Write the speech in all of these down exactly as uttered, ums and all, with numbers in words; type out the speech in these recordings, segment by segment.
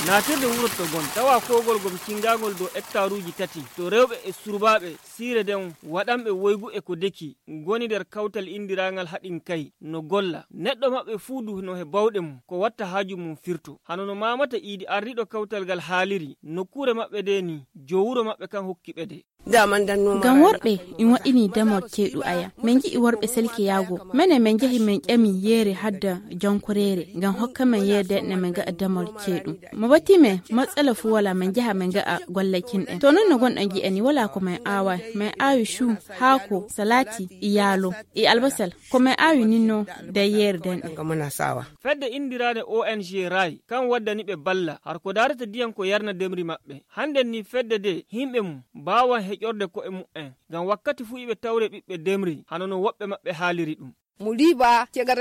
Naatirde wurotto gon tawa koogol gom cingaangol dow ektaaruuji tati to rewɓe e surbaaɓe siire nden waɗanɓe woygu e ko deki ngoni nder kawtal inndiraangal Haɗinkay no golla. Neɗɗo maɓɓe fuu du no he bawɗe mum ko watta haaju mum firto. Hano no Maamata Iidi ardiiɗo kawtal ngal haaliri nokkuure maɓɓe ndee nii, joo wuro maɓɓe kan hokki ɓe de. Ngam worɓe in waɗɗini damol ceeɗu aya. Min njiɗi worɓe selkeyaago. Menen min njahi min ƴami yeere hadda jankoreere ngam hokka min yeere denɗe min ngaɗa damol ceeɗu. Mo batti min matsala fuu walaa min njaha min ngaɗa golle cinɗen. To non no gonɗon ji'ani walaa ko min aawaay. Min aawi cuu, haako, salaati, e yaalo, e albasal. Ko min aawi ninno nder yeere denɗe. Fedde inndiraande O N G Raay kan waddani ɓe balla har ko daarata diyan ko yarna demri maɓɓe. Hannden ni fedde de himɓe mum baawan heƴorde ko'e mu'en ngam wakkati fuu iɓe tawre ɓiɓɓe demri hano no woɓɓe maɓɓe haaliri ɗum.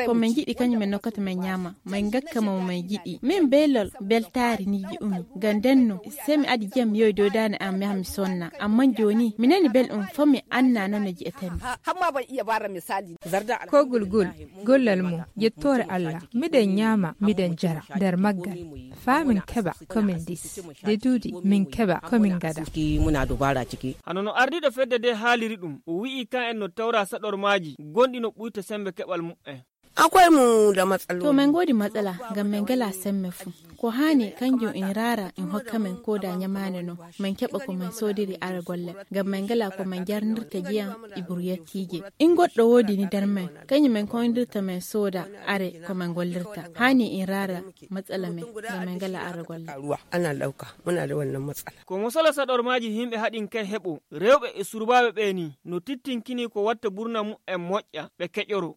Ko min njiɗi kañum min nokkata min ñaama, min ngakka mo min njiɗi. Min beelol beltaari ni ji'umi. Ngam ndenno, sey mi adi jam yowi dow daande am mi yaha mi sonna. Ammaa jooni mi nani belɗum faa mi annaa non no ji'etee mi. Kogol gol gollal mum yettoore Allah, miɗen ñaama miɗen jara nder maggal faa min keɓa ko min ndis, de duuɗi min keɓa ko min ngada. Hano no ardiiɗo fedde de haaliri ɗum, o wi'i kan en no tawra saɗormaaji gonɗi no ɓuyta semmbe keɓal mu'en. To min ngoodi matsala ngam min ngalaa semmbe fuu. Ko haani kanjum in raara in hokka min kooda ñamaande non. Min keɓa ko min soodiri ara golle ngam min ngalaa ko min jarnirta jiyam e buruyattiije. In goɗɗo woodi ni nder min, kañum min koyndirta min sooda are ko min gollirta. Haani in raara matsala min ngam min ngalaa ara golle. Ko mosala saɗormaaji himɓe Haɗinkay heɓo rewɓe e surbaaɓe ɓee ni no tittinkini ko watta burna mu'en moƴƴa ɓe keƴoro.